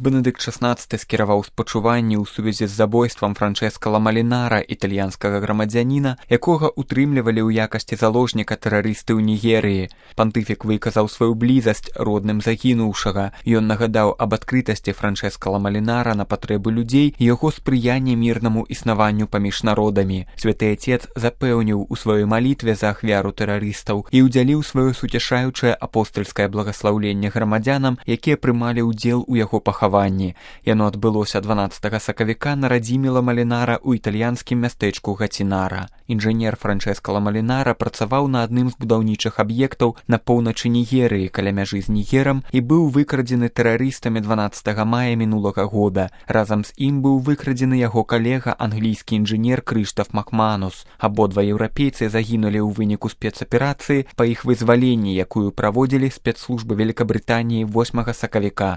Бенедыкт XVI скіраваў спачуванні ў сувязі з забойствам Франчэска Ламалінара, італьянскага грамадзяніна, якога утрымлівалі ў якасці заложніка тэрарысты ў Нігерыі. Пантыфік выказаў сваю блізасць родным загінуўшага. Ён нагадаў аб адкрытасці Франчэска Ламалінара на патрэбы людзей і яго спрыянне мірнаму існаванню паміж народамі. Святы Отец запэўніў у сваёй малітве за ахвяру тэрарыстаў і ўдзяліў сваё суцяшаючае апостальскае благаслаўленне грамадзянам, якія прымалі ўдзел у яго пахаванні. Яно адбылося 12 сакавіка на радзіме Ламалінара ў італьянскім мястэчку Гацінара. Інжынер Франчэска Ламалінара працаваў на адным з будаўнічых аб'ектаў на поўначы Нігерыі каля мяжы з Нігерам і быў выкрадзены тэрарыстамі 12 мая мінулага года. Разам з ім быў выкрадзены яго калега, англійскі інжынер Крыштаф Макманус. Абодва еўрапейцы загінулі ў выніку спецаперацыі па іх вызваленні, якую праводзілі спецслужбы Вялікабрытаніі 8 сакавіка.